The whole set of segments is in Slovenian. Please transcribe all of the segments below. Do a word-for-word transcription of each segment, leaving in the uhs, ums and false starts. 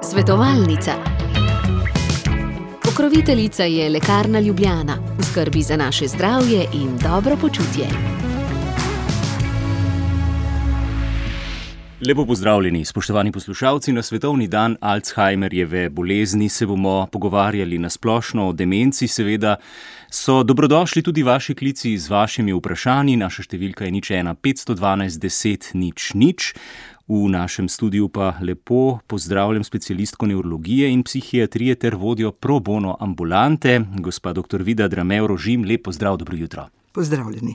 Svetovalnica. Pokroviteljica je Lekarna Ljubljana, v skrbi za naše zdravje in dobro počutje. Lepo pozdravljeni, spoštovani poslušalci. Na svetovni dan Alzheimerjeve bolezni se bomo pogovarjali na splošno o demenci. Seveda so dobrodošli tudi vaši klici z vašimi vprašanji. Naša številka je nič ena petsto dvanajst deset nič nič. V našem studiu pa lepo pozdravljam specialistko nevrologije in psihiatrije ter vodjo pro bono ambulante, gospa doktor Vida Dramev-Rožim. Lep pozdrav, dobro jutro. Pozdravljeni.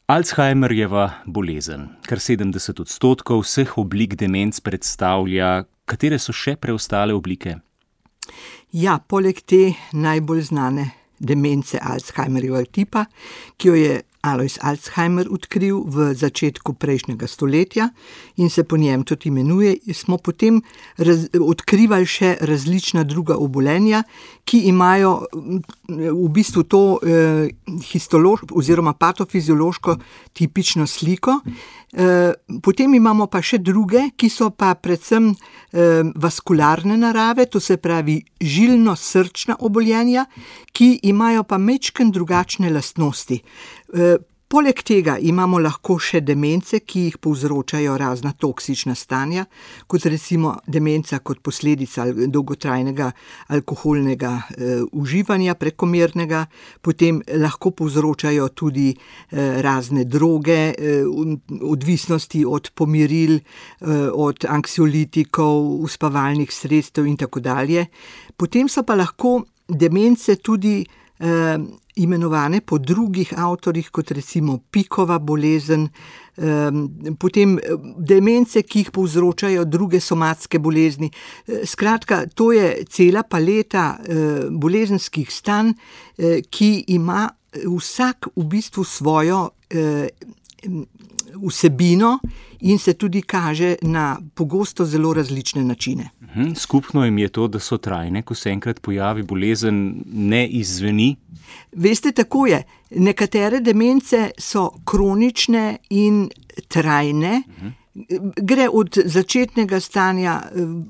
Alzheimerjeva bolezen, kar sedemdeset odstotkov vseh oblik demenc predstavlja. Katere so še preostale oblike? Ja, poleg te najbolj znane demence Alzheimerjevega tipa, ki jo je Alois Alzheimer odkril v začetku prejšnjega stoletja in se po njem tudi imenuje, smo potem raz, odkrivali še različna druga obolenja, ki imajo v bistvu to eh, histološko oziroma patofiziološko tipično sliko. Eh, potem imamo pa še druge, ki so pa predvsem eh, vaskularne narave, to se pravi žilno-srčna obolenja, ki imajo pa majčkeno drugačne lastnosti. E, poleg tega imamo lahko še demence, ki jih povzročajo razna toksična stanja, kot recimo demenca kot posledica dolgotrajnega alkoholnega e, uživanja prekomernega, potem lahko povzročajo tudi e, razne droge, e, odvisnosti od pomiril, e, od anksiolitikov, uspavalnih sredstev in tako dalje. Potem so pa lahko demence tudi eh, imenovane po drugih avtorjih, kot recimo Pikova bolezen, eh, potem demence, ki jih povzročajo druge somatske bolezni. Eh, skratka, to je cela paleta eh, bolezenskih stanj, eh, ki ima vsak v bistvu svojo eh, vsebino in se tudi kaže na pogosto zelo različne načine. Skupno jim je to, da so trajne, ko se enkrat pojavi bolezen, ne izzveni? Veste, tako je. Nekatere demence so kronične in trajne. Uh-huh. Gre od začetnega stanja,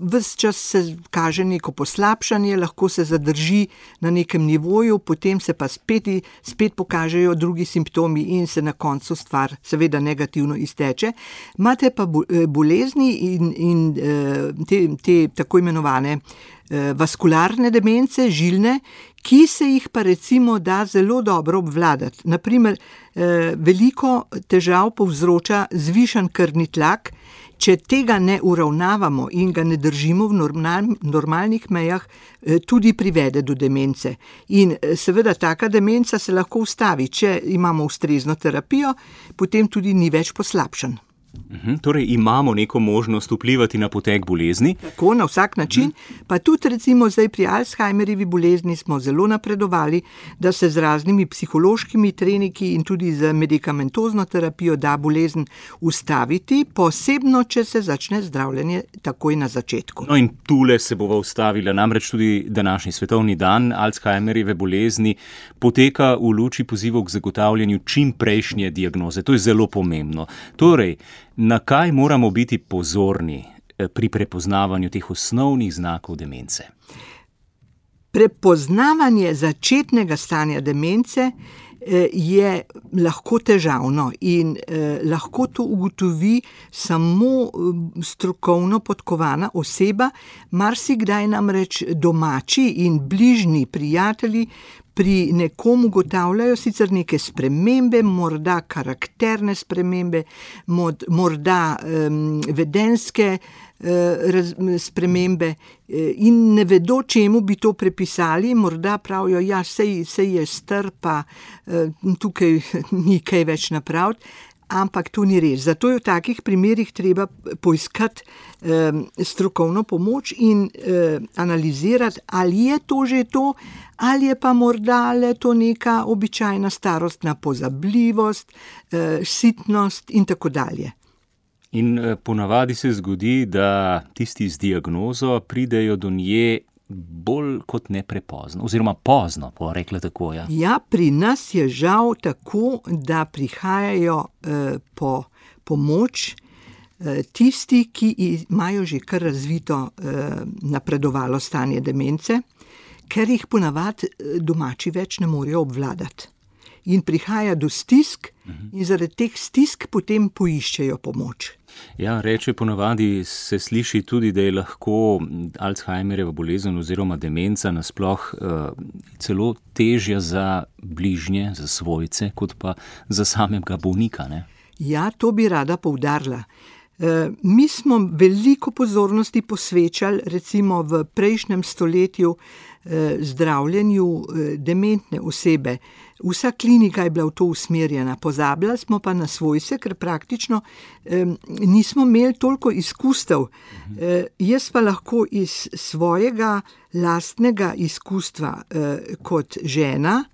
ves čas se kaže neko poslabšanje, lahko se zadrži na nekem nivoju, potem se pa spet, spet pokažejo drugi simptomi in se na koncu stvar seveda negativno izteče. Imate pa bolezni in, in te, te tako imenovane vaskularne demence, žilne, ki se jih pa recimo da zelo dobro obvladati. Naprimer, veliko težav povzroča zvišan krvni tlak. Če tega ne uravnavamo in ga ne držimo v normal, normalnih mejah, tudi privede do demence. In seveda taka demenca se lahko ustavi, če imamo ustrezno terapijo, potem tudi ni več poslabšan. Uhum, torej imamo neko možnost vplivati na potek bolezni? Tako, na vsak način, uhum. Pa tudi recimo zdaj pri Alzheimerjevi bolezni smo zelo napredovali, da se z raznimi psihološkimi treniki in tudi z medikamentozno terapijo da bolezen ustaviti, posebno, če se začne zdravljenje takoj na začetku. No in tule se bova ustavila, namreč tudi današnji svetovni dan Alzheimerjeve bolezni poteka v luči pozivov k zagotavljanju čim prejšnje diagnoze. To je zelo pomembno. Torej, na kaj moramo biti pozorni pri prepoznavanju teh osnovnih znakov demence? Prepoznavanje začetnega stanja demence je lahko težavno in eh, lahko to ugotovi samo strokovno podkovana oseba. Marsikdaj namreč domači in bližnji prijatelji pri nekom ugotavljajo sicer neke spremembe, morda karakterne spremembe, mod, morda um, vedenske uh, raz, spremembe uh, in ne vedo, čemu bi to prepisali, morda pravijo, ja, sej, sej je star, pa uh, tukaj ni kaj več napraviti. Ampak to ni res. Zato je v takih primerih treba poiskati eh, strokovno pomoč in eh, analizirati, ali je to že to, ali je pa morda le to neka običajna starostna pozabljivost, eh, sitnost in tako dalje. In eh, ponavadi se zgodi, da tisti z diagnozo pridejo do nje bolj kot ne prepozno, oziroma pozno, po rekla tako, ja. Ja, pri nas je žal tako, da prihajajo eh, po pomoč tisti, ki imajo že kar razvito napredovalo stanje demence, ker jih ponavadi domači več ne morejo obvladati. In prihaja do stisk in zaradi teh stisk potem poiščejo pomoč. Ja, reče ponavadi se sliši tudi, da je lahko Alzheimerjeva bolezen oziroma demenca nasploh uh, celo težja za bližnje, za svojce, kot pa za samega bolnika, ne? Ja, to bi rada poudarila. E, mi smo veliko pozornosti posvečali recimo v prejšnjem stoletju e, zdravljenju e, dementne osebe. Vsa klinika je bila v to usmerjena, pozabljali smo pa na svojce, ker praktično e, nismo imeli toliko izkustev. E, jaz pa lahko iz svojega lastnega izkustva e, kot žena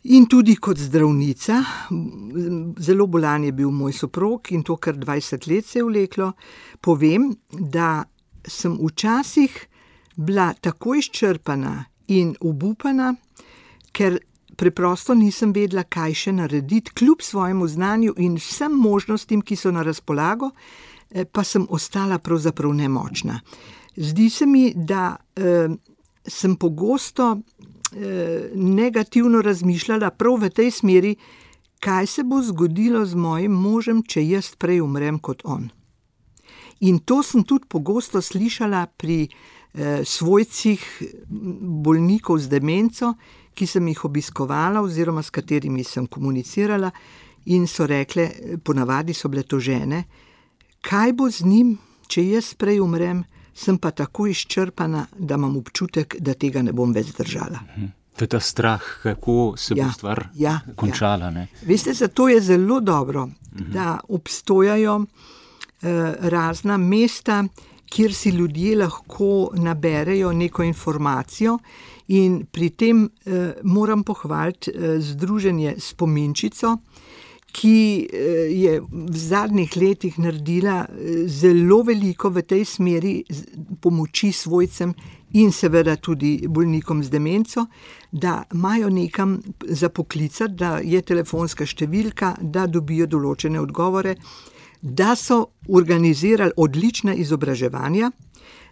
in tudi kot zdravnica, zelo bolan je bil moj soprog in to kar dvajset let se je vleklo, povem, da sem včasih bila tako izčrpana in obupana, ker preprosto nisem vedela, kaj še narediti, kljub svojemu znanju in vsem možnostim, ki so na razpolago, pa sem ostala pravzaprav nemočna. Zdi se mi, da eh, sem pogosto negativno razmišljala prav v tej smeri, kaj se bo zgodilo z mojim možem, če jaz prej umrem kot on. In to sem tudi pogosto slišala pri eh, svojcih bolnikov z demenco, ki sem jih obiskovala oziroma s katerimi sem komunicirala in so rekle, ponavadi so bile to žene, kaj bo z njim, če jaz prej umrem, sem pa tako izčrpana, da imam občutek, da tega ne bom več zdržala. To je ta strah, kako se ja, bo stvar ja, končala. Ja. Ne? Veste, zato je zelo dobro, uh-huh. da obstojajo eh, razna mesta, kjer si ljudje lahko naberejo neko informacijo in pri tem eh, moram pohvaliti eh, združenje Spominčico, ki je v zadnjih letih naredila zelo veliko v tej smeri pomoči svojcem in seveda tudi bolnikom z demenco, da imajo nekam za poklicati, da je telefonska številka, da dobijo določene odgovore, da so organizirali odlična izobraževanja,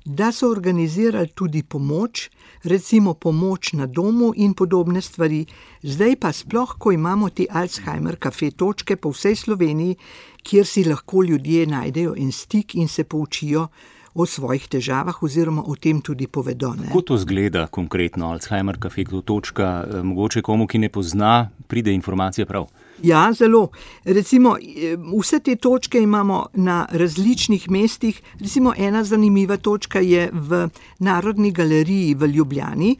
da so organizirali tudi pomoč, recimo pomoč na domu in podobne stvari. Zdaj pa sploh, ko imamo te Alzheimer kafe točke po vsej Sloveniji, kjer si lahko ljudje najdejo en stik in se poučijo o svojih težavah oziroma o tem tudi povedo. Ne? Kako to zgleda konkretno Alzheimer kafe točka? Mogoče komu, ki ne pozna, pride informacija prav? Ja, zelo. Recimo, vse te točke imamo na različnih mestih. Recimo, ena zanimiva točka je v Narodni galeriji v Ljubljani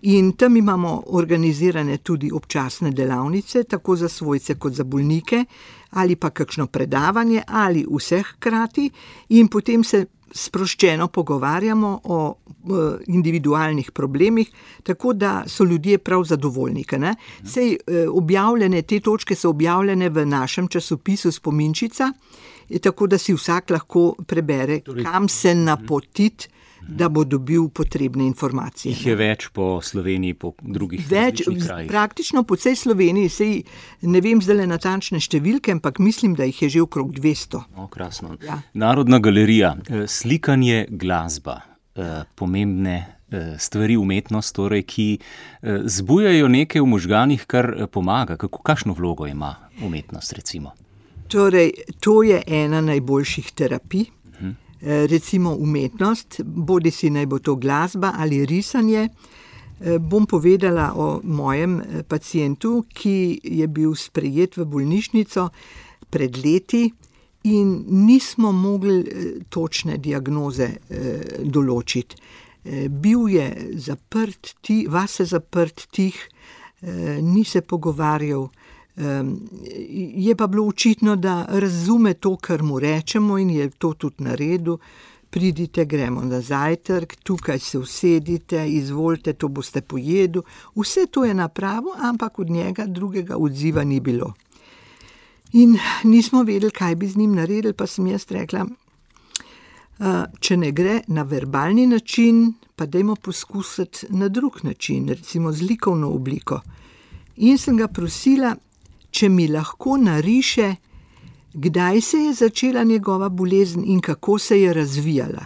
in tam imamo organizirane tudi občasne delavnice, tako za svojce kot za bolnike, ali pa kakšno predavanje, ali vseh hkrati in potem se sproščeno pogovarjamo o individualnih problemih, tako da so ljudje prav zadovoljni. Ne? Sej objavljene, te točke so objavljene v našem časopisu Spominčica, tako da si vsak lahko prebere, kam se napotiti, da bo dobil potrebne informacije. Jih je več po Sloveniji, po drugih več, krajih? Praktično po vsej Sloveniji, sej ne vem zdaj natančne številke, ampak mislim, da jih je že okrog dvesto. O, krasno. Ja. Narodna galerija, slikanje, glasba, pomembne stvari, umetnost, torej, ki zbujajo nekaj v možganih, kar pomaga. Kako, kakšno vlogo ima umetnost, recimo? Torej, to je ena najboljših terapij. Recimo umetnost, bodi si naj bo to glasba ali risanje. Bom povedala o mojem pacientu, ki je bil sprejet v bolnišnico pred leti in nismo mogli točne diagnoze določiti. Bil je zaprt, vase zaprt, tih, ni se pogovarjal. Je pa bilo očitno, da razume to, kar mu rečemo in je to tudi naredil. Pridite, gremo na zajtrk, tukaj se usedite, izvolite, to boste pojedli. Vse to je napravo, ampak od njega drugega odziva ni bilo. In nismo vedeli, kaj bi z njim naredili, pa sem jaz rekla, če ne gre na verbalni način, pa dajmo poskusiti na drug način, recimo z likovno obliko. In sem ga prosila, če mi lahko nariše Kdaj se je začela njegova bolezen in kako se je razvijala?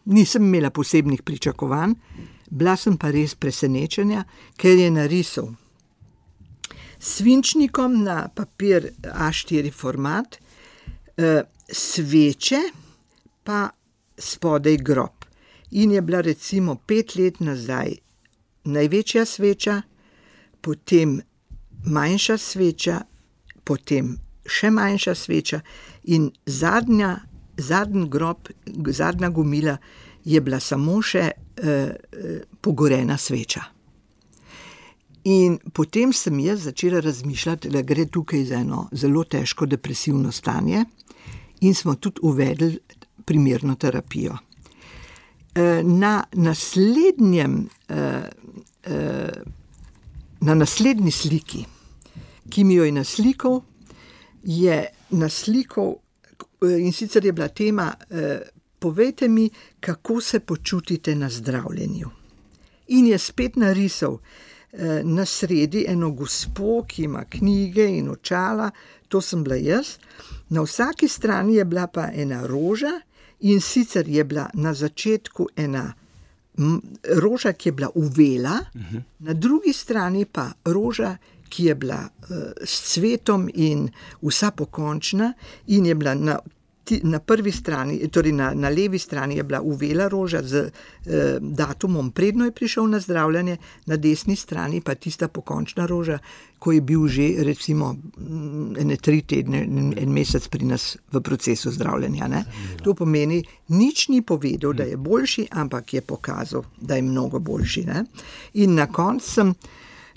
Nisem imela posebnih pričakovanj, bila sem pa res presenečena, ker je narisal s svinčnikom na papir A štiri format, eh, sveče pa spodaj grob. In je bila recimo pet let nazaj največja sveča, potem manjša sveča, potem še manjša sveča in zadnja, zadnji grob, zadnja gomila je bila samo še eh, pogorena sveča. In potem sem jaz začela razmišljati, da gre tukaj za eno zelo težko depresivno stanje in smo tudi uvedli primerno terapijo. Eh, na naslednjem, eh, eh, na naslednji sliki, ki mi jo je naslikal, je naslikal, in sicer je bila tema, eh, povejte mi, kako se počutite na zdravljenju. In je spet narisal eh, na sredi eno gospo, ki ima knjige in očala, to sem bila jaz. Na vsaki strani je bila pa ena roža, in sicer je bila na začetku ena roža, ki je bila uvela, uh-huh. Na drugi strani pa roža, ki je bila uh, s cvetom in vsa pokončna in je bila na, na prvi strani, torej na, na levi strani je bila uvela roža z uh, datumom, predno je prišel na zdravljenje, na desni strani pa tista pokončna roža, ko je bil že recimo ene tri tedne, en mesec pri nas v procesu zdravljenja. Ne? To pomeni, nič ni povedal, da je boljši, ampak je pokazal, da je mnogo boljši. Ne? In na koncu sem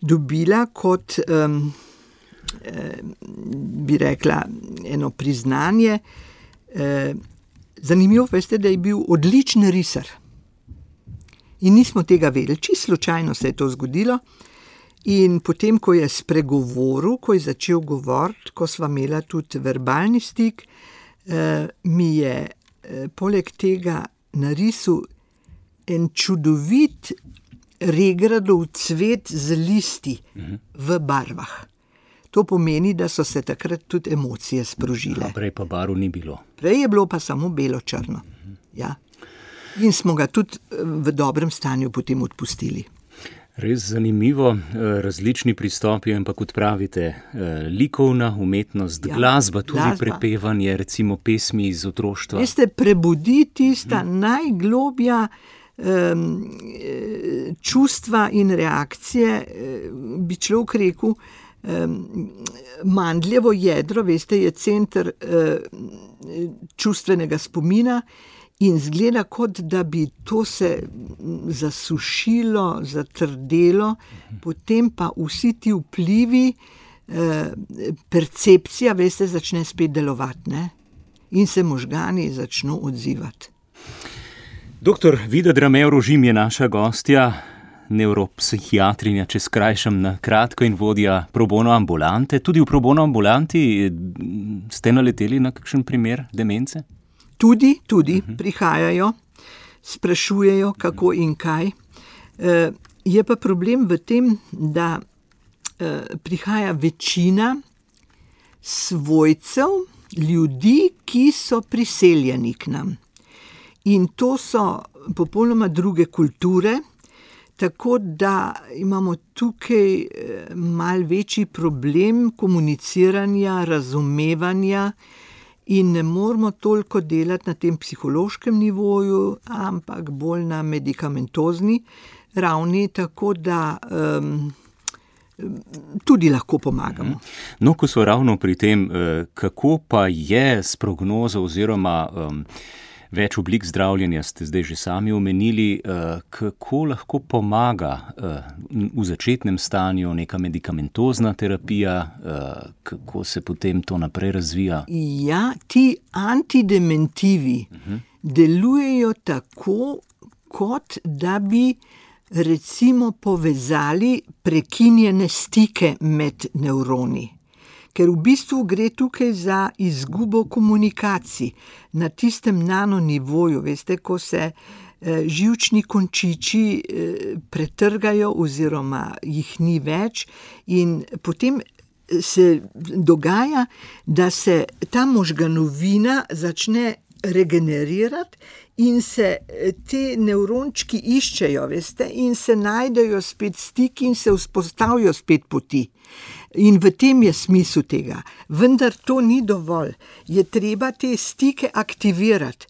dobila kot, um, eh, bi rekla, eno priznanje. Eh, zanimivo, veste, da je bil odličen risar. In nismo tega vedeli, čisto slučajno se je to zgodilo. In potem, ko je spregovoril, ko je začel govoriti, ko sva imela tudi verbalni stik, eh, mi je eh, poleg tega narisal en čudovit regradov cvet z listi mhm. v barvah. To pomeni, da so se takrat tudi emocije sprožile. A prej pa barv ni bilo. Prej je bilo pa samo belo-črno. Mhm. Ja. In smo ga tudi v dobrem stanju potem odpustili. Res zanimivo, različni pristopi, ampak kot pravite, likovna umetnost, ja, glasba, tudi glasba. Prepevanje, recimo pesmi iz otroštva. Veste, prebudi tista hmm. najglobja um, čustva in reakcije, bi človek rekel, um, mandljevo jedro, veste, je center uh, čustvenega spomina. In zgleda, kot da bi to se zasušilo, zatrdelo, potem pa vsi ti vplivi, eh, percepcija, veste, začne spet delovati, ne? In se možgani začno odzivati. Doktor Vida Drame-Rožim je naša gostja, nevropsihiatrinja, če skrajšam na kratko, in vodja pro bono ambulante. Tudi v pro bono ambulanti ste naleteli na kakšen primer demence? Tudi, tudi uh-huh. prihajajo, sprašujejo, kako in kaj. E, je pa problem v tem, da e, prihaja večina svojcev, ljudi, ki so priseljeni k nam. In to so popolnoma druge kulture, tako da imamo tukaj mal večji problem komuniciranja, razumevanja, in ne moramo toliko delati na tem psihološkem nivoju, ampak bolj na medikamentozni ravni, tako da um, tudi lahko pomagamo. No, ko so ravno pri tem, kako pa je s prognozo oziroma um, več oblik zdravljenja, ste zdaj že sami omenili, kako lahko pomaga v začetnem stanju neka medikamentozna terapija, kako se potem to naprej razvija? Ja, ti antidementivi uh-huh. delujejo tako, kot da bi recimo povezali prekinjene stike med nevroni. Ker v bistvu gre tukaj za izgubo komunikacij na tistem nanonivoju, veste, ko se eh, živčni končiči eh, pretrgajo oziroma jih ni več in potem se dogaja, da se ta možganovina začne regenerirati in se te nevrončki iščejo, veste, in se najdejo spet stiki in se vzpostavijo spet poti. In v tem je smisel tega. Vendar to ni dovolj. Je treba te stike aktivirati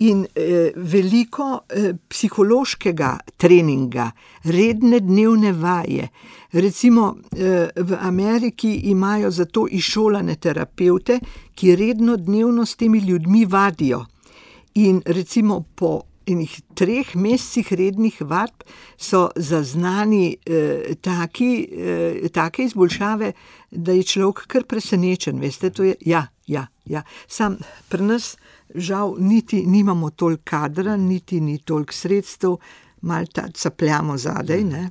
in eh, veliko eh, psihološkega treninga, redne dnevne vaje. Recimo eh, v Ameriki imajo za to izšolane terapevte, ki redno dnevno s temi ljudmi vadijo. In recimo po enih treh mesecih rednih vadb so zaznani eh, taki, eh, take izboljšave, da je človek kar presenečen. Veste, to je, ja, ja, ja. Sam pri nas žal niti nimamo toliko kadra, niti ni toliko sredstev, malo ta capljamo zadej, ne.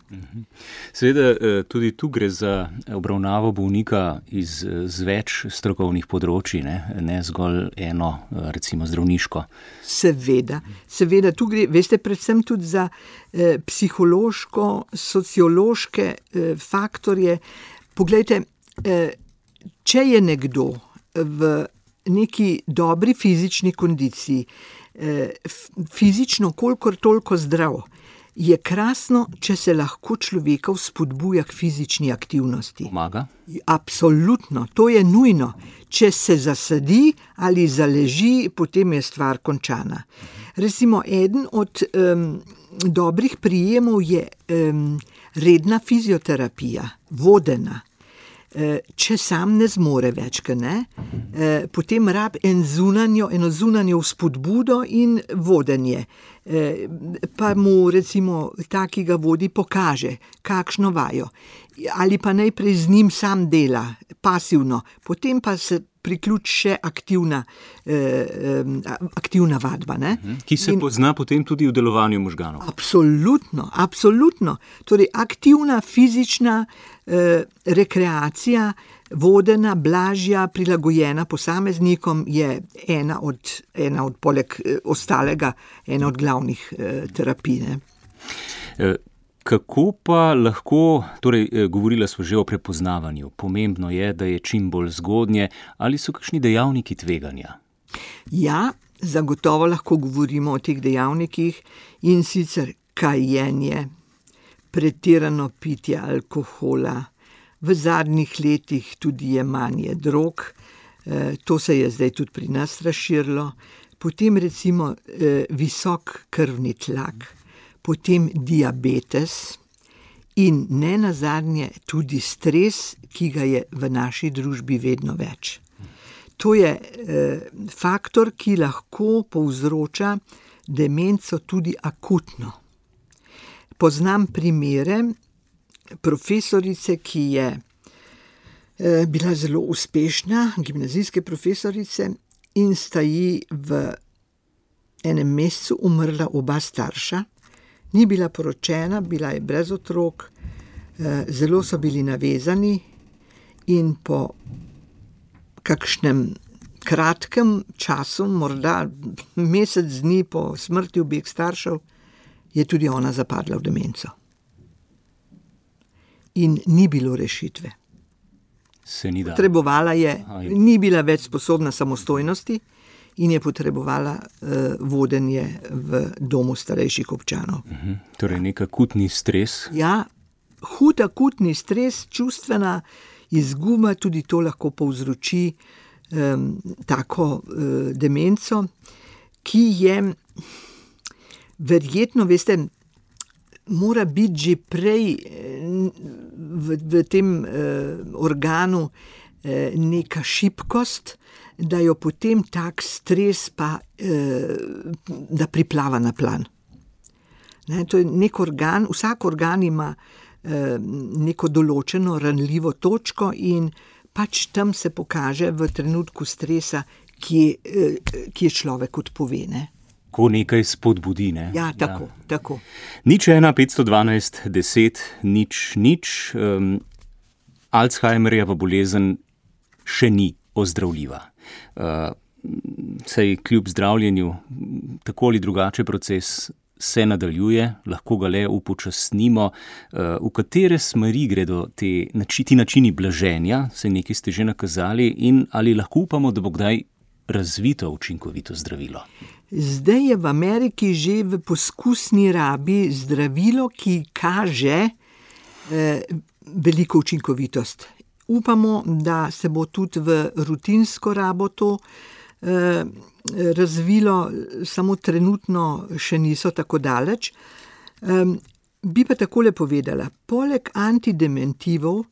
Seveda tudi tu gre za obravnavo bolnika iz, z več strokovnih področji, ne, ne zgolj eno, recimo zdravniško. Seveda, seveda tu gre, veste, predvsem tudi za eh, psihološko, sociološke eh, faktorje. Poglejte, eh, če je nekdo v neki dobri fizični kondiciji, eh, fizično kolikor toliko zdrav, je krasno, če se lahko človeka vzpodbuja k fizični aktivnosti. Pomaga? Absolutno, to je nujno. Če se zasedi ali zaleži, potem je stvar končana. Recimo, eden od um, dobrih prijemov je um, redna fizioterapija, vodena. Če sam ne zmore več, ne, potem rab en zunanjo, eno zunanjo vzpodbudo in vodenje. Pa mu recimo ta, ki ga vodi, pokaže, kakšno vajo. Ali pa najprej z njim sam dela, pasivno, potem pa se priključi še aktivna, eh, aktivna vadba. Ne? Ki se in, pozna potem tudi v delovanju možganov. Absolutno, absolutno. Torej, aktivna fizična eh, rekreacija, vodena, blažja, prilagojena posameznikom je ena od, ena od poleg eh, ostalega, ena od glavnih eh, terapij. Ne? Eh. Kako pa lahko, torej govorila smo že o prepoznavanju, pomembno je, da je čim bolj zgodnje, ali so kakšni dejavniki tveganja? Ja, zagotovo lahko govorimo o teh dejavnikih, in sicer kajenje, pretirano pitje alkohola, v zadnjih letih tudi jemanje drog, to se je zdaj tudi pri nas razširilo, potem recimo visok krvni tlak, potem diabetes in ne nazadnje tudi stres, ki ga je v naši družbi vedno več. To je eh, faktor, ki lahko povzroča demenco tudi akutno. Poznam primere profesorice, ki je eh, bila zelo uspešna, gimnazijske profesorice, in sta ji v enem mesecu umrla oba starša. Ni bila poročena, bila je brez otrok, zelo so bili navezani in po kakšnem kratkem času, morda mesec dni po smrti obeh staršev, je tudi ona zapadla v demenco. In ni bilo rešitve. Se ni dalo. Potrebovala je, ni bila več sposobna samostojnosti in je potrebovala uh, vodenje v domu starejših občanov. Uh-huh. Torej nek akutni stres? Ja, hud akutni stres, čustvena izguba, tudi to lahko povzroči um, tako uh, demenco, ki je verjetno, veste, mora biti že prej v, v tem uh, organu uh, neka šibkost, da jo potem tak stres pa, eh, da priplava na plan. Ne, to je nek organ, vsak organ ima eh, neko določeno ranljivo točko in pač tam se pokaže v trenutku stresa, kje, eh, kje človek odpove. Ne. Ko nekaj spodbudi, ne? Ja, tako, ja. tako. Nič ena, petsto dvanajst, deset, nič, nič. Um, Alzheimerjeva bolezen še ni ozdravljiva. Uh, saj kljub zdravljenju tako ali drugače proces se nadaljuje, lahko ga le upočasnimo. V katere smeri gredo te, ti načini blaženja, se nekaj ste že nakazali, in ali lahko upamo, da bo kdaj razvito učinkovito zdravilo? Zdaj je v Ameriki že v poskusni rabi zdravilo, ki kaže eh, veliko učinkovitost. Upamo, da se bo tudi v rutinsko rabo to eh, razvilo, samo trenutno še niso tako daleč. Eh, bi pa takole povedala, poleg antidementivov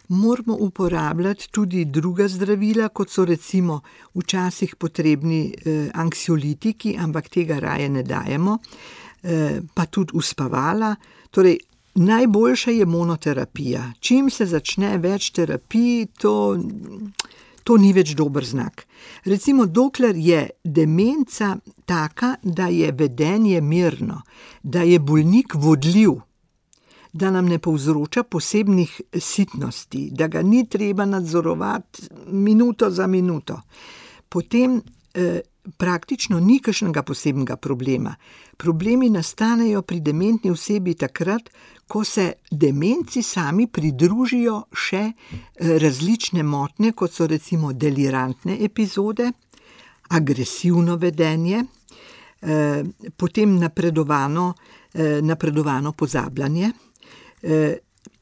moramo uporabljati tudi druga zdravila, kot so recimo včasih potrebni eh, anksiolitiki, ampak tega raje ne dajemo, eh, pa tudi uspavala. Torej, najboljša je monoterapija. Čim se začne več terapij, to, to ni več dober znak. Recimo, dokler je demenca taka, da je vedenje mirno, da je bolnik vodljiv, da nam ne povzroča posebnih sitnosti, da ga ni treba nadzorovati minuto za minuto, potem eh, praktično ni kakšnega posebnega problema. Problemi nastanejo pri dementni osebi takrat, ko se demenci sami pridružijo še eh, različne motnje, kot so recimo delirantne epizode, agresivno vedenje, eh, potem napredovano, eh, napredovano pozabljanje.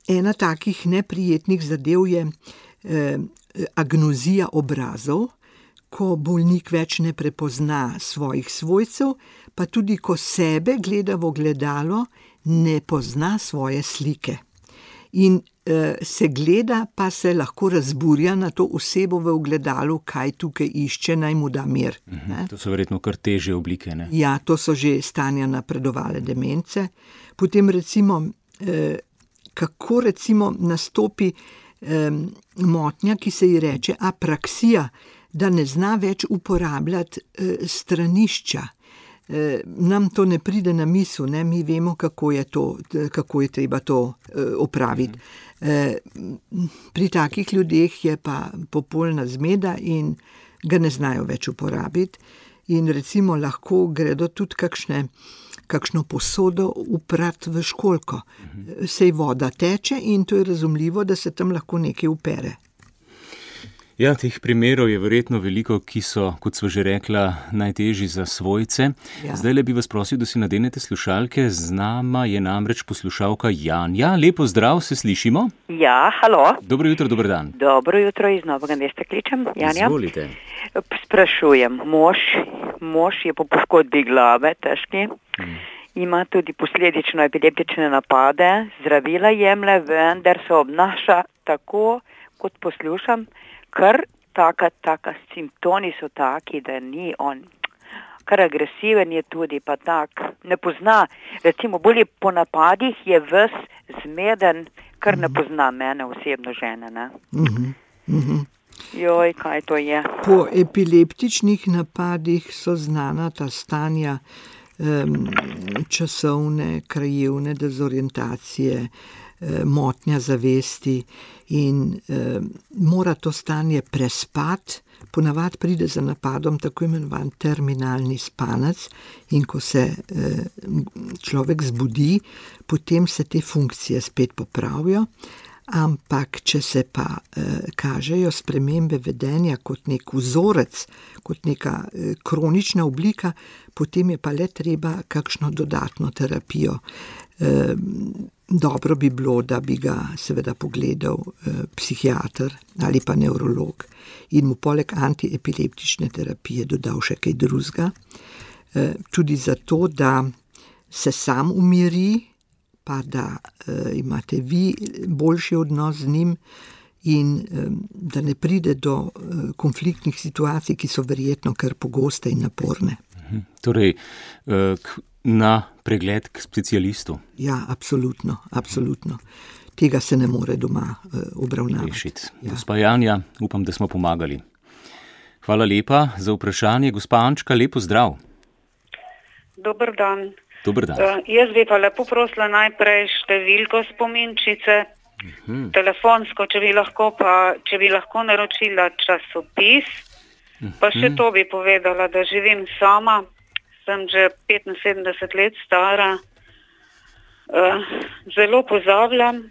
Ena takih neprijetnih zadev je eh, agnozija obrazov, ko bolnik več ne prepozna svojih svojcev, pa tudi ko sebe gleda v ogledalo, ne pozna svoje slike. In eh, se gleda, pa se lahko razburja na to osebo v ogledalu, kaj tukaj išče, naj mu da mir. Mhm, to so verjetno kar težje oblike, ne? Ja, to so že stanja napredovale demence. Potem recimo eh, kako recimo nastopi eh, motnja, ki se ji reče apraksija, da ne zna več uporabljati eh, stranišča. Eh, nam to ne pride na misel, ne? Mi vemo, kako je, to, kako je treba to eh, opraviti. Eh, pri takih ljudeh je pa popolna zmeda in ga ne znajo več uporabiti. In recimo lahko gredo tudi kakšne kakšno posodo uprat v školjko. Sej voda teče in to je razumljivo, da se tam lahko nekaj upere. Ja, teh primerov je verjetno veliko, ki so, kot sva že rekla, najtežji za svojce. Ja. Zdaj le bi vas prosil, da si nadenete slušalke. Z nama je namreč poslušalka Janja. Lepo zdrav, se slišimo? Ja, halo. Dobro jutro, dober dan. Dobro jutro, iz Novega mesta kličem, Janja. Izvolite. Sprašujem, mož, mož je po poškodbi glave, težki, hmm. ima tudi posledično epileptične napade, zdravila jemlje, vendar se obnaša tako, kot poslušam, kar taka, taka simptomi so taki, da ni on, kar agresiven je tudi, pa tak, ne pozna, recimo bolje po napadih je ves zmeden, kar ne pozna mene osebno žene, ne. Mhm, mhm. Joj, kaj to je? Po epileptičnih napadih so znana ta stanja um, časovne, krajevne dezorientacije, um, motnja zavesti in um, mora to stanje prespati. Ponavadi pride za napadom tako imenovan terminalni spanec in ko se um, človek zbudi, potem se te funkcije spet popravijo. Ampak, če se pa eh, kažejo spremembe vedenja kot nek vzorec, kot neka eh, kronična oblika, potem je pa le treba kakšno dodatno terapijo. Eh, dobro bi bilo, da bi ga seveda pogledal eh, psihiater ali pa nevrolog in mu poleg antiepileptične terapije dodal še kaj drugega. Eh, tudi zato, da se sam umiri, pa da uh, imate vi boljši odnos z njim in um, da ne pride do uh, konfliktnih situacij, ki so verjetno kar pogoste in naporne. Mhm. Torej, uh, k, na pregled k specialistu? Ja, absolutno, absolutno. Tega se ne more doma uh, obravnavati. Ja. Gospa Janja, upam, da smo pomagali. Hvala lepa za vprašanje. Gospa Ančka, lepo zdrav. Dober dan. Dober dan. Uh, jaz bi pa lepo prosila najprej številko spominčice, uh-huh. telefonsko, če bi lahko pa, če bi lahko naročila časopis, uh-huh. pa še to bi povedala, da živim sama, sem že petinsedemdeset let stara. Zelo pozabljam,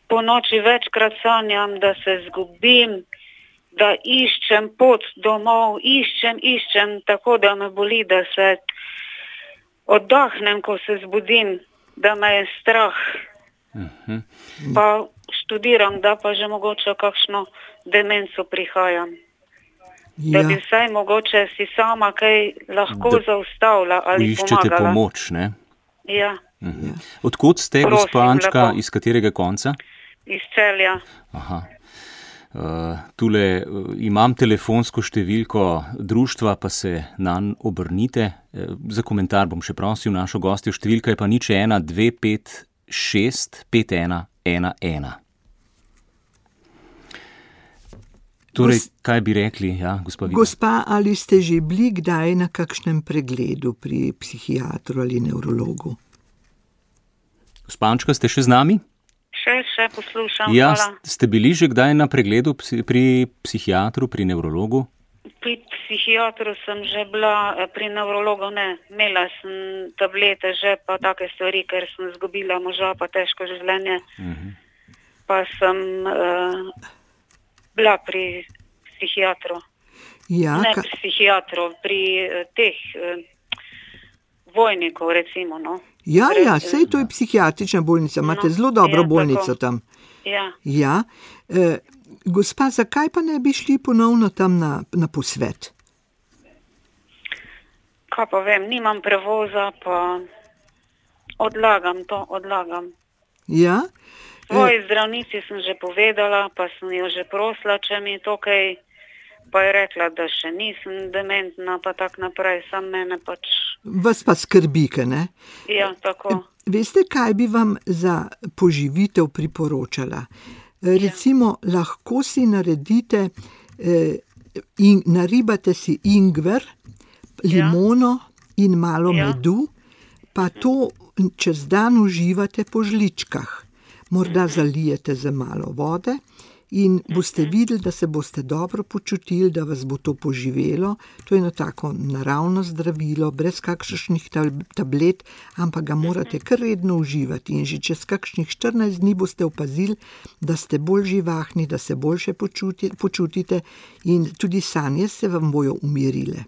po noči večkrat sanjam, da se zgubim, da iščem pot domov, iščem, iščem, tako da me boli, da se oddahnem, ko se zbudim, da me je strah. Uh-huh. Pa študiram, da pa že mogoče kakšno demenco prihajam. Ja. Da bi vsaj mogoče si sama kaj lahko da zaustavila ali iščete pomagala. Iščete pomoč, ne? Ja. Uh-huh. Odkot ste, gospa Ančka, iz katerega konca? Iz Celja. Aha. Uh, tule uh, imam telefonsko številko društva, pa se nanj obrnite. Uh, za komentar bom še prosil našo gostjo, številka je pa nič ena dve pet šest pet ena ena ena. Torej, kaj bi rekli, ja, gospa Vida? Gospa, ali ste že bili kdaj na kakšnem pregledu pri psihiatru ali nevrologu? Gospa Ančka, ste še z nami? Še, še poslušam, ja, hvala. Ste bili že kdaj na pregledu pri psihiatru, pri nevrologu? Pri psihiatru sem že bila, pri nevrologu ne. Imela sem tablete že, pa take stvari, ker sem zgubila moža, pa težko življenje. Uh-huh. Pa sem uh, bila pri psihiatru. Ja, ne ka... pri psihiatru, pri uh, teh uh, vojnikov, recimo, no. Ja, ja, sej to je psihiatrična bolnica, imate no, zelo dobro ja, bolnico tako. Tam. Ja. Ja. E, gospa, zakaj pa ne bi šli ponovno tam na, na posvet? Kaj pa vem, nimam prevoza, pa odlagam to, odlagam. Ja. Svoji e... zdravnici sem že povedala, pa sem jo že prosila, če mi to kaj, pa je rekla, da še nisem dementna, pa tak naprej, sam mene pač... Vas pa skrbike, ne? Ja, tako. Veste, kaj bi vam za poživitev priporočala? Recimo, ja. Lahko si naredite, eh, in, naribate si ingver, limono ja. in malo ja. medu, pa to čez dan uživate po žličkah. Morda zalijete za malo vode in boste videli, da se boste dobro počutili, da vas bo to poživelo. To je eno tako naravno zdravilo, brez kakšnih tablet, ampak ga morate kar redno uživati. In že čez kakšnih štirinajst dni boste opazili, da ste bolj živahni, da se boljše počutite in tudi sanje se vam bojo umirile.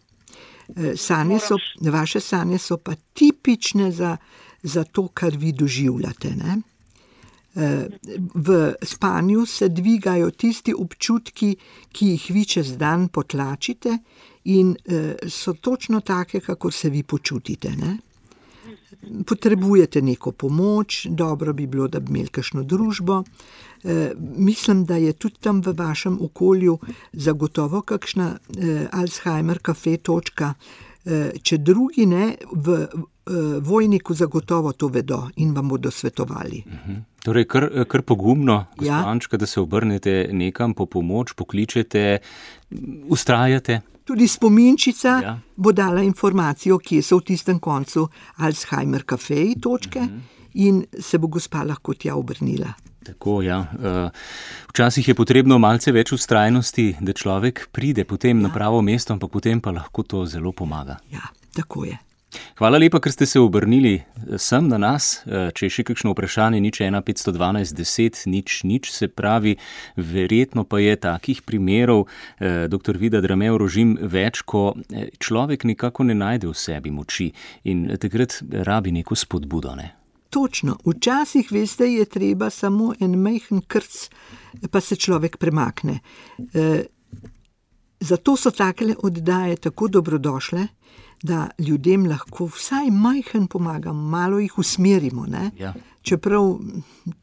Sanje so, vaše sanje so pa tipične za, za to, kar vi doživljate, ne? V spanju se dvigajo tisti občutki, ki jih vi čez dan potlačite in so točno take, kako se vi počutite, ne? Potrebujete neko pomoč, dobro bi bilo, da bi imeli kakšno družbo. Mislim, da je tudi tam v vašem okolju zagotovo kakšna Alzheimer kafe točka. Če drugi ne, v vojniku zagotovo to vedo in vam bodo svetovali. Uh-huh. Torej, kar, kar pogumno, gospa Ančka, da se obrnete nekam po pomoč, pokličete, ustrajate. Tudi spominčica ja. bo dala informacijo, kje so v tistem koncu Alzheimer kafeji točke uh-huh. in se bo gospa lahko tja obrnila. Tako, ja. Včasih je potrebno malce več ustrajnosti, da človek pride potem ja. na pravo mesto, ampak potem pa lahko to zelo pomaga. Ja, tako je. Hvala lepa, ker ste se obrnili sem na nas. Če je še kakšno vprašanje, nič ena petsto dvanajst deset, nič, nič, se pravi, verjetno pa je takih primerov, doktor Vida Drame Rožim, več, ko človek nekako ne najde v sebi moči in takrat rabi neko spodbudo, ne? Točno. Včasih, veste, je treba samo en majhen krc, pa se človek premakne. E, zato so takele oddaje tako dobrodošle, da ljudem lahko vsaj majhen pomagam, malo jih usmerimo, ne? Ja. Čeprav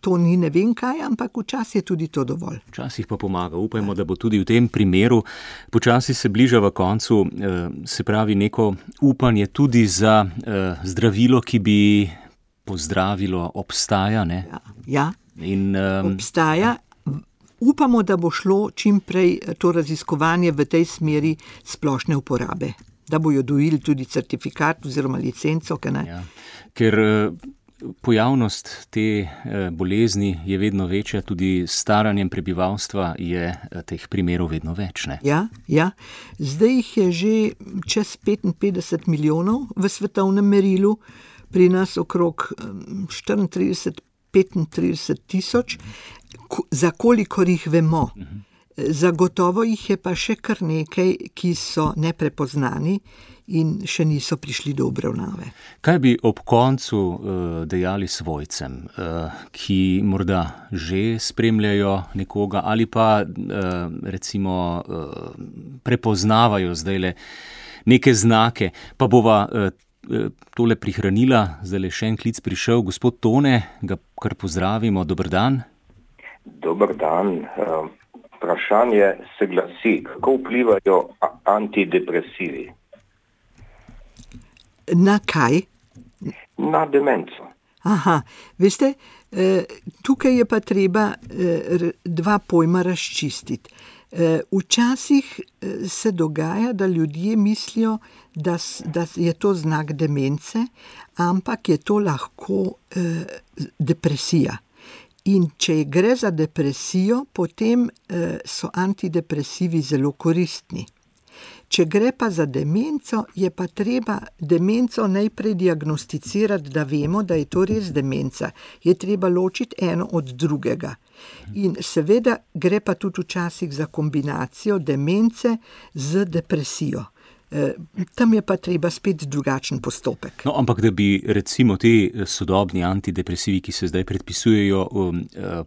to ni ne vem kaj, ampak včasih je tudi to dovolj. Včasih pa pomaga. Upajmo, da bo tudi v tem primeru. Počasi se bliža v koncu, se pravi neko upanje tudi za zdravilo, ki bi pozdravilo, obstaja, ne? Ja, ja. In, um, obstaja. Upamo, da bo šlo čim prej to raziskovanje v tej smeri splošne uporabe. Da bojo dojili tudi certifikat oziroma licenco, kaj ne? Ja. Ker pojavnost te bolezni je vedno večja, tudi s staranjem prebivalstva je teh primerov vedno več, ne? Ja, ja. Zdaj jih je že čez petinpetdeset milijonov v svetovnem merilu, pri nas okrog štiriintrideset, petintrideset tisoč, za kolikor jih vemo. Zagotovo jih je pa še kar nekaj, ki so neprepoznani in še niso prišli do obravnave. Kaj bi ob koncu uh, dejali svojcem, uh, ki morda že spremljajo nekoga ali pa uh, recimo uh, prepoznavajo zdajle neke znake, pa bova uh, tole prihranila, zdajle še en klic prišel, gospod Tone, ga kar pozdravimo, dober dan. Dober dan. Uh... Vprašanje se glasi, kako vplivajo antidepresivi? Na kaj? Na demenco. Aha, veste, tukaj je pa treba dva pojma razčistiti. Včasih se dogaja, da ljudje mislijo, da, da je to znak demence, ampak je to lahko depresija. In če gre za depresijo, potem eh, so antidepresivi zelo koristni. Če gre pa za demenco, je pa treba demenco najprej diagnosticirati, da vemo, da je to res demenca. Je treba ločiti eno od drugega. In seveda gre pa tudi včasih za kombinacijo demence z depresijo. Tam je pa treba spet drugačen postopek. No, ampak da bi recimo te sodobni antidepresivi, ki se zdaj predpisujejo, um,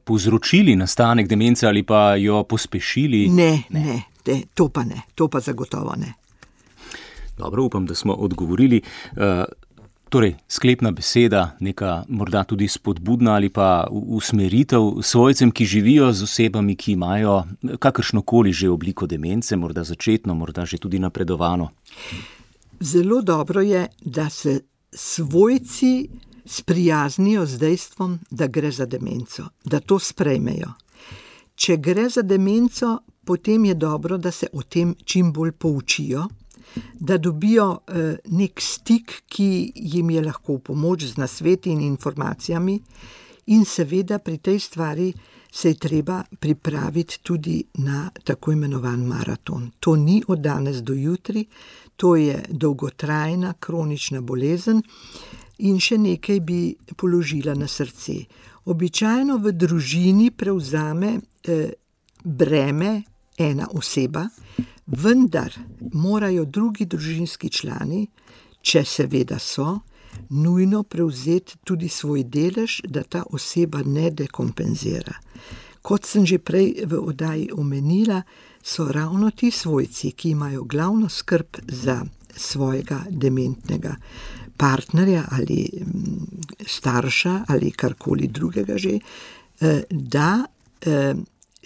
povzročili nastanek demence ali pa jo pospešili? Ne, ne, ne, ne, to pa ne, to pa zagotovo ne. Dobro, upam, da smo odgovorili. Uh, Torej, sklepna beseda, neka morda tudi spodbudna ali pa usmeritev svojcem, ki živijo z osebami, ki imajo kakršnokoli že obliko demence, morda začetno, morda že tudi napredovano. Zelo dobro je, da se svojci sprijaznijo z dejstvom, da gre za demenco, da to sprejmejo. Če gre za demenco, potem je dobro, da se o tem čim bolj poučijo, da dobijo eh, nek stik, ki jim je lahko v pomoč z nasveti in informacijami, in seveda pri tej stvari se je treba pripraviti tudi na tako imenovan maraton. To ni od danes do jutri, to je dolgotrajna kronična bolezen in še nekaj bi položila na srce. Običajno v družini prevzame eh, breme ena oseba, vendar morajo drugi družinski člani, če seveda so, nujno prevzeti tudi svoj delež, da ta oseba ne dekompenzira. Kot sem že prej v oddaji omenila, so ravno ti svojci, ki imajo glavno skrb za svojega dementnega partnerja ali starša ali karkoli drugega že, da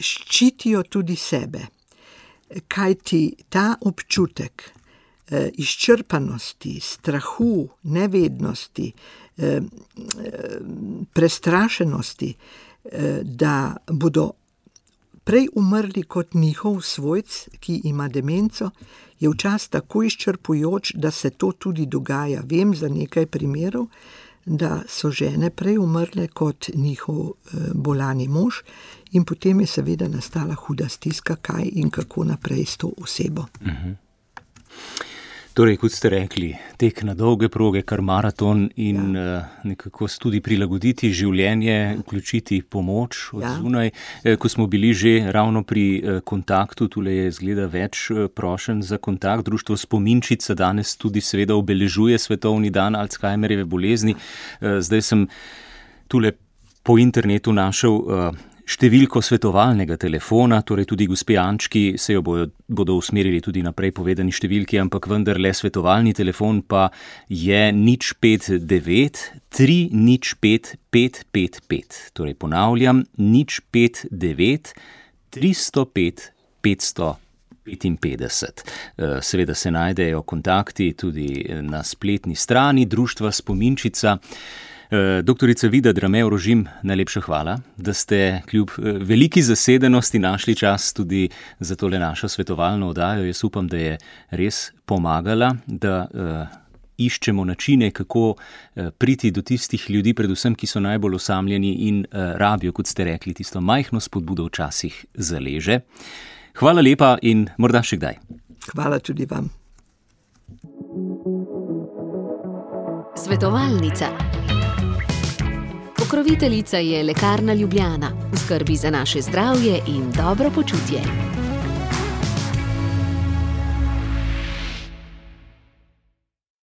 ščitijo tudi sebe. Kajti ta občutek eh, izčrpanosti, strahu, nevednosti, eh, prestrašenosti, eh, da bodo prej umrli kot njihov svojc, ki ima demenco, je včasih tako izčrpujoč, da se to tudi dogaja. Vem za nekaj primerov, da so žene prej umrle kot njihov eh, bolani mož, in potem je seveda nastala huda stiska, kaj in kako naprej s to osebo. Uh-huh. Torej, kot ste rekli, tek na dolge proge, kar maraton in ja. uh, nekako tudi prilagoditi življenje, vključiti pomoč od ja. zunaj. E, ko smo bili že ravno pri uh, kontaktu, tule je zgleda več uh, prošenj za kontakt. Društvo Spominčica danes tudi seveda obeležuje svetovni dan Alzheimerjeve bolezni. Uh, zdaj sem tule po internetu našel uh, številko svetovalnega telefona, torej tudi gospe Ančki se jo bodo, bodo usmerili tudi naprej povedani številki, ampak vendar le svetovalni telefon pa je nič pet devet tri nič pet pet pet pet. Torej ponavljam, nič pet devet tristo pet petsto petinpetdeset. Seveda se najdejo kontakti tudi na spletni strani Društva Spominčica. Doktorica Vida Drame-Orožim, najlepša hvala, da ste kljub veliki zasedenosti našli čas tudi za tole našo svetovalno oddajo. Jaz upam, da je res pomagala, da uh, iščemo načine, kako priti do tistih ljudi, predvsem, ki so najbolj osamljeni in rabijo, kot ste rekli, tisto majhno spodbudo včasih zaleže. Hvala lepa in morda še kdaj. Hvala tudi vam. Svetovalnica. Pokroviteljica je Lekarna Ljubljana, v skrbi za naše zdravje in dobro počutje.